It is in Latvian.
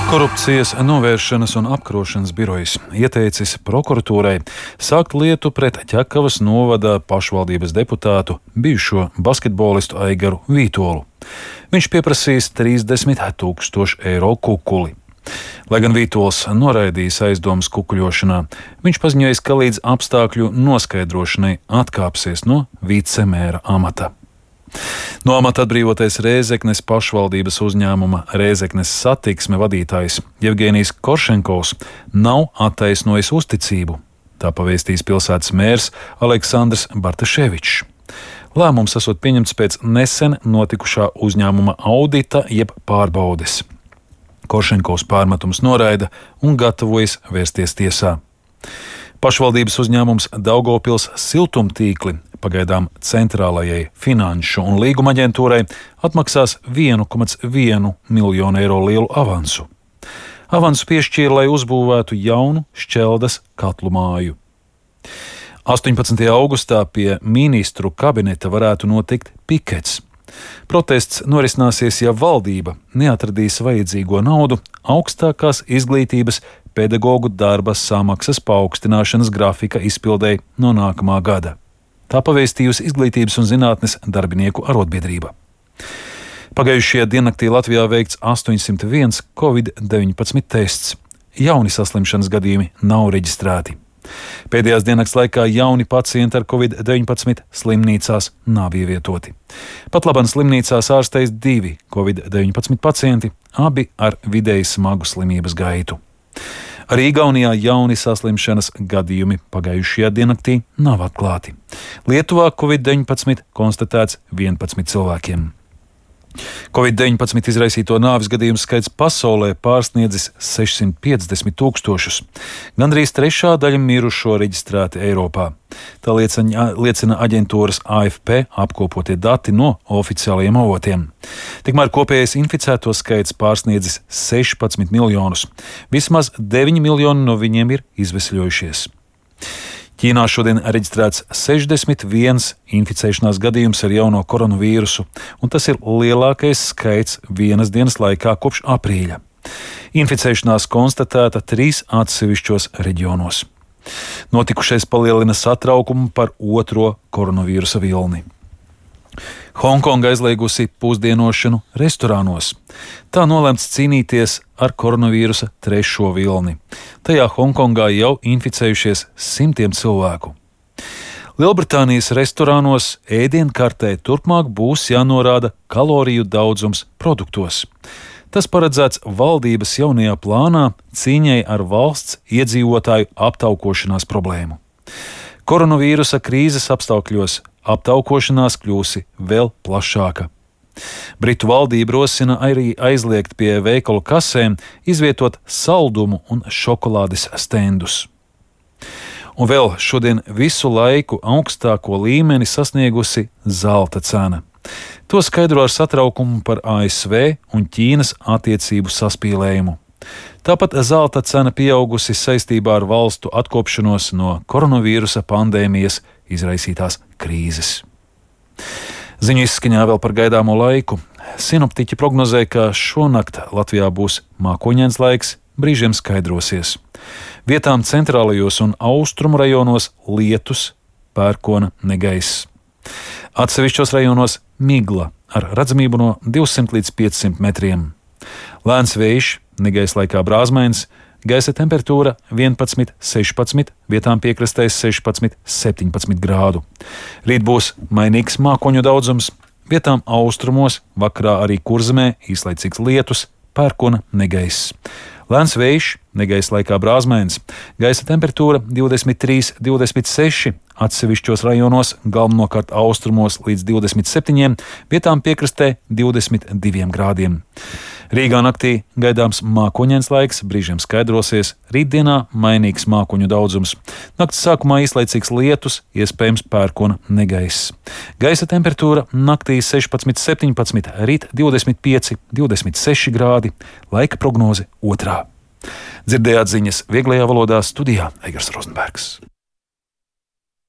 Korupcijas novēršanas un apkarošanas birojs ieteicis prokuratūrai sākt lietu pret Ķekavas novada pašvaldības deputātu, bijušo basketbolistu Aigaru Vītolu. Viņš pieprasīs 30 000 eiro kukuli. Lai gan Vītols noraidījis aizdomas kukuļošanā, viņš paziņojis, ka līdz apstākļu noskaidrošanai atkāpsies no vicemēra amata. No amata atbrīvotais Rēzeknes pašvaldības uzņēmuma Rēzeknes satiksme vadītājs Jevgenijs Koršenkovs nav attaisnojis uzticību. Tā pavēstīs pilsētas mērs Aleksandrs Bartaševičs. Lēmums esot pieņemts pēc nesen notikušā uzņēmuma audita jeb pārbaudes. Koršenkovs pārmetums noraida un gatavojas vērsties tiesā. Pašvaldības uzņēmums Daugavpils siltumtīkli pagaidām centrālajai finanšu un līguma aģentūrai atmaksās 1,1 miljonu eiro lielu avansu. Avansu piešķīra, lai uzbūvētu jaunu Šķeldas katlu māju. 18. augustā pie ministru kabineta varētu notikt pikets. Protests norisināsies, ja valdība neatradīs vajadzīgo naudu augstākās izglītības pedagoģu darba samaksas paaugstināšanas grafika izpildēji no nākamā gada. Tā pavēstījusi Izglītības un zinātnes darbinieku arotbiedrība. Pagājušajā diennaktī Latvijā veikts 801 Covid-19 tests. Jauni saslimšanas gadījumi nav reģistrēti. Pēdējās diennakts laikā jauni pacienti ar Covid-19 slimnīcās nav ievietoti. Pat labāk slimnīcās ārstējas 2 Covid-19 pacienti, abi ar vidēji smagu slimības gaitu. Arī Igaunijā jauni saslimšanas gadījumi pagājušajā diennaktī nav atklāti. Lietuvā Covid-19 konstatēts 11 cilvēkiem. Covid-19 izraisīto nāves gadījumu skaits pasaulē pārsniedzis 650 000. Gandrīz trešā daļa mirušo reģistrēti Eiropā. Tā liecina aģentūras AFP apkopotie dati no oficiālajiem avotiem. Tikmēr kopējais inficēto skaits pārsniedzis 16 miljonus. Vismaz 9 miljoni no viņiem ir izvesļojušies. Ķīnā šodien reģistrēts 61 inficēšanās gadījums ar jauno koronavīrusu, un tas ir lielākais skaits vienas dienas laikā kopš aprīļa. Inficēšanās konstatēta 3 atsevišķos reģionos. Notikušais palielina satraukumu par otro koronavīrusa vilni. Hongkonga aizliegusi pusdienošanu restorānos. Tā nolēmts cīnīties ar koronavīrusa 3. vilni. Tajā Hongkongā jau inficējušies 100 cilvēku. Lielbritānijas restorānos ēdienkartē turpmāk būs jānorāda kaloriju daudzums produktos. Tas paredzēts valdības jaunajā plānā cīņai ar valsts iedzīvotāju aptaukošanās problēmu. Koronavīrusa krīzes apstākļos aptaukošanās kļūsi vēl plašāka. Britu valdība rosina arī aizliegt pie veikalu kasēm izvietot saldumu un šokolādes stendus. Un vēl šodien visu laiku augstāko līmeni sasniegusi zelta cena. To skaidro ar satraukumu par ASV un Ķīnas attiecību saspīlējumu. Tāpat zelta cena pieaugusi saistībā ar valstu atkopšanos no koronavīrusa pandēmijas izraisītās krīzes. Ziņu izskaņā vēl par gaidāmo laiku. Sinoptiķi prognozē, ka šonakt Latvijā būs mākoņains laiks, brīžiem skaidrosies. Vietām centrālajos un austrumu rajonos lietus, pērkona negaiss. Atsevišķos rajonos migla ar redzamību no 200 līdz 500 metriem. Lēns vējš, negaisa laikā brāzmains, gaisa temperatūra 11, 16, vietām piekrastēs 16, 17 grādu. Rīt būs mainīgs mākoņu daudzums, vietām austrumos, vakarā arī Kurzemē īslaicīgs lietus, pērkona negaiss. Lēns vējš, negaisa laikā brāzmains, gaisa temperatūra 23, 26, atsevišķos rajonos, galvenokārt austrumos līdz 27, vietām piekrastē 22 grādiem. Rīgā naktī gaidāms mākoņains laiks, brīžiem skaidrosies, rītdienā mainīgs mākoņu daudzums. Nakts sākumā īslaicīgs lietus, iespējams pērkona negaiss. Gaisa temperatūra naktī 16, 17, rīt 25, 26 grādi, laika prognoze 2. Dzirdējāt ziņas vieglajā valodā, studijā Eigars Rozenbergs.